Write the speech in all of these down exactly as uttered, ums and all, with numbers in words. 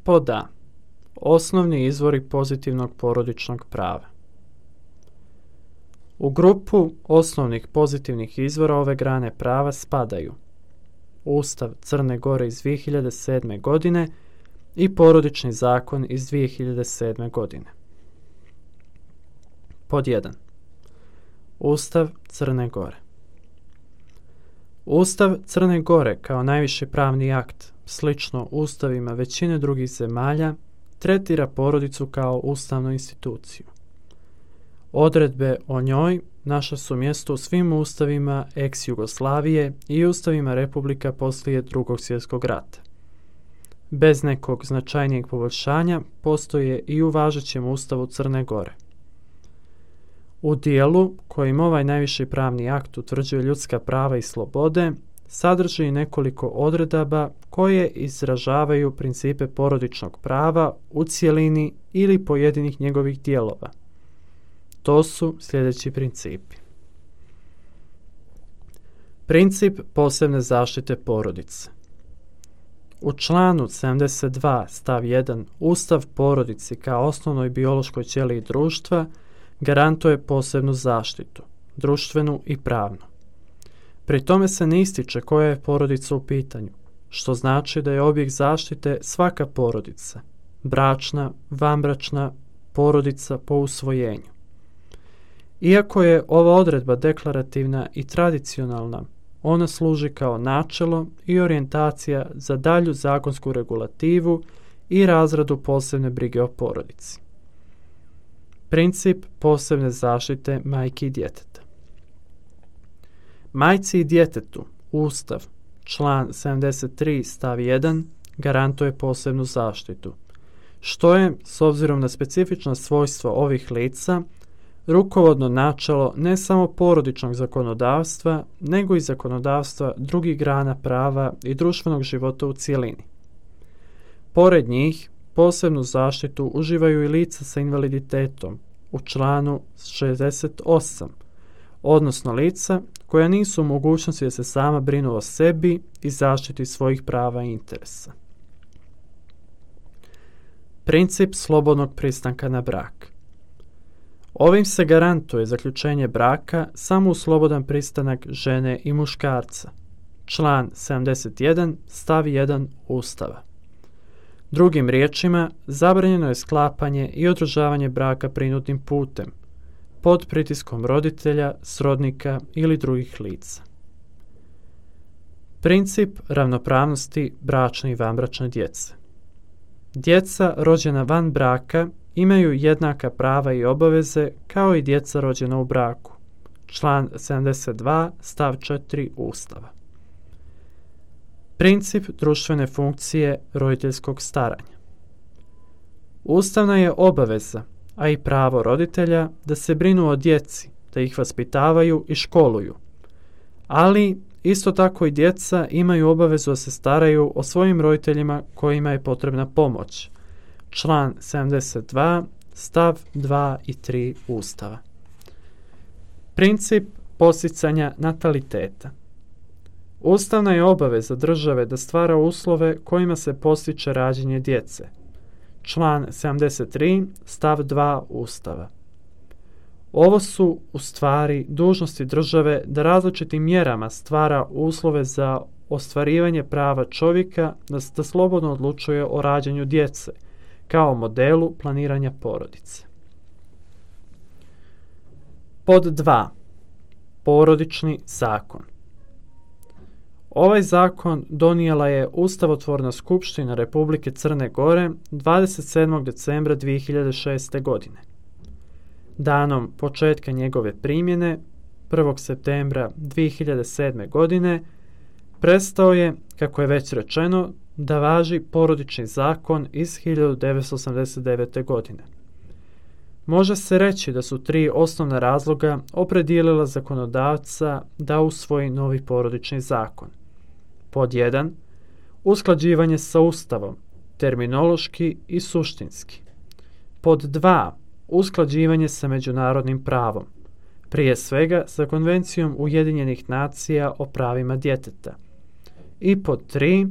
Pod A. Osnovni izvori pozitivnog porodičnog prava. U grupu osnovnih pozitivnih izvora ove grane prava spadaju Ustav Crne Gore iz dvije hiljade sedme. godine i Porodični zakon iz dvije hiljade sedme. godine. Pod jedan. Ustav Crne Gore. Ustav Crne Gore kao najviši pravni akt, slično ustavima većine drugih zemalja, tretira porodicu kao ustavnu instituciju. Odredbe o njoj našla su mjesto u svim ustavima ex-Jugoslavije i ustavima republika poslije Drugog svjetskog rata. Bez nekog značajnijeg poboljšanja postoje i u važećem ustavu Crne Gore. U dijelu kojim ovaj najviši pravni akt utvrđuje ljudska prava i slobode, sadrži nekoliko odredaba koje izražavaju principe porodičnog prava u cjelini ili pojedinih njegovih dijelova. To su sljedeći principi. Princip posebne zaštite porodice. U članu sedamdeset dva stav jedan Ustav porodici kao osnovnoj biološkoj ćeliji društva garantuje posebnu zaštitu, društvenu i pravnu. Pri tome se ne ističe koja je porodica u pitanju, što znači da je objekt zaštite svaka porodica, bračna, vanbračna, porodica po usvojenju. Iako je ova odredba deklarativna i tradicionalna, ona služi kao načelo i orijentacija za dalju zakonsku regulativu i razradu posebne brige o porodici. Princip posebne zaštite majke i djeteta. Majci i djetetu Ustav, član sedamdeset tri stav jedan, garantuje posebnu zaštitu, što je, s obzirom na specifična svojstva ovih lica, rukovodno načelo ne samo porodičnog zakonodavstva, nego i zakonodavstva drugih grana prava i društvenog života u cjelini. Pored njih, posebnu zaštitu uživaju i lica sa invaliditetom u članu šezdeset osam, odnosno lica koja nisu u mogućnosti da se sama brinu o sebi i zaštiti svojih prava i interesa. Princip slobodnog pristanka na brak. Ovim se garantuje zaključenje braka samo uz slobodan pristanak žene i muškarca. Član sedamdeset jedan stav jedan Ustava. Drugim riječima, zabranjeno je sklapanje i održavanje braka prinudnim putem, pod pritiskom roditelja, srodnika ili drugih lica. Princip ravnopravnosti bračne i vanbračne djece. Djeca rođena van braka imaju jednaka prava i obaveze kao i djeca rođena u braku. Član sedamdeset dva stav četiri Ustava. Princip društvene funkcije roditeljskog staranja. Ustavna je obaveza, a i pravo roditelja da se brinu o djeci, da ih vaspitavaju i školuju. Ali isto tako i djeca imaju obavezu da se staraju o svojim roditeljima kojima je potrebna pomoć. Član sedamdeset dva stav dva i tri Ustava. Princip podsticanja nataliteta. Ustavna je obaveza države da stvara uslove kojima se postiče rađanje djece. Član sedamdeset tri stav dva Ustava. Ovo su u stvari dužnosti države da različitim mjerama stvara uslove za ostvarivanje prava čovjeka da, da slobodno odlučuje o rađanju djece, kao modelu planiranja porodice. Pod dva. Porodični zakon. Ovaj zakon donijela je Ustavotvorna skupština Republike Crne Gore dvadeset sedmog decembra dvije hiljade šeste. godine. Danom početka njegove primjene, prvog septembra dvije hiljade sedme. godine, prestao je, kako je već rečeno, da važi Porodični zakon iz hiljadu devetsto osamdeset devete. godine. Može se reći da su tri osnovna razloga opredijelila zakonodavca da usvoji novi Porodični zakon. Pod jedan. Usklađivanje sa Ustavom, terminološki i suštinski. Pod dva. Usklađivanje sa međunarodnim pravom, prije svega sa Konvencijom Ujedinjenih nacija o pravima djeteta. I pod tri.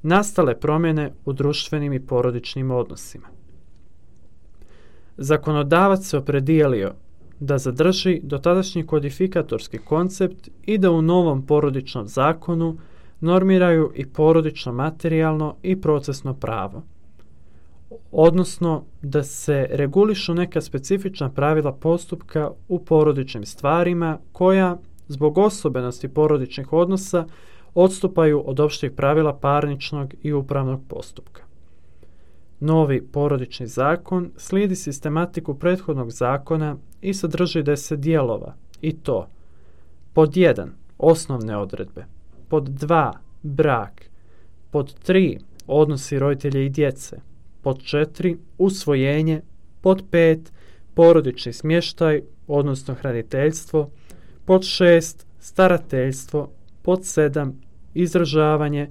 nastale promjene u društvenim i porodičnim odnosima. Zakonodavac se opredijelio da zadrži dotadašnji kodifikatorski koncept i da u novom porodičnom zakonu normiraju i porodično materijalno i procesno pravo, odnosno da se regulišu neka specifična pravila postupka u porodičnim stvarima koja, zbog osobenosti porodičnih odnosa, odstupaju od opštih pravila parničnog i upravnog postupka. Novi porodični zakon slijedi sistematiku prethodnog zakona i sadrži deset dijelova, i to: pod jedan osnovne odredbe, pod dva brak, pod tri odnosi roditelja i djece, pod četiri usvojenje, pod pet porodični smještaj, odnosno hraniteljstvo, pod šest starateljstvo, pod sedam izdržavanje,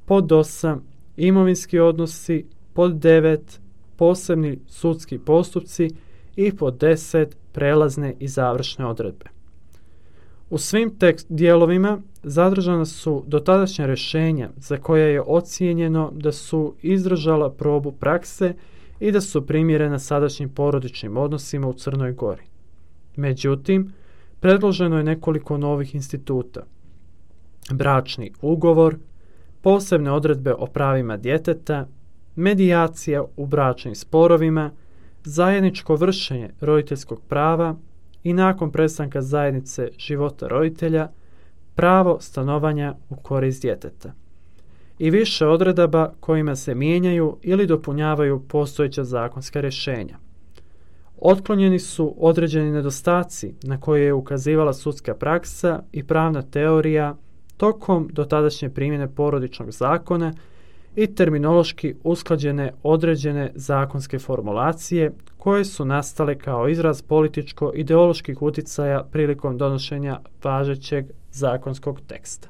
pod osam imovinski odnosi, pod devet posebni sudski postupci i pod deset prelazne i završne odredbe. U svim tekst dijelovima zadržana su dotadašnja rješenja za koja je ocijenjeno da su izdržala probu prakse i da su primjerena sadašnjim porodičnim odnosima u Crnoj Gori. Međutim, predloženo je nekoliko novih instituta: bračni ugovor, posebne odredbe o pravima djeteta, medijacija u bračnim sporovima, zajedničko vršenje roditeljskog prava i nakon prestanka zajednice života roditelja, pravo stanovanja u korist djeteta i više odredaba kojima se mijenjaju ili dopunjavaju postojeća zakonska rješenja. Otklonjeni su određeni nedostaci na koje je ukazivala sudska praksa i pravna teorija tokom dotadašnje primjene porodičnog zakona i terminološki usklađene određene zakonske formulacije koje su nastale kao izraz političko-ideoloških utjecaja prilikom donošenja važećeg zakonskog teksta.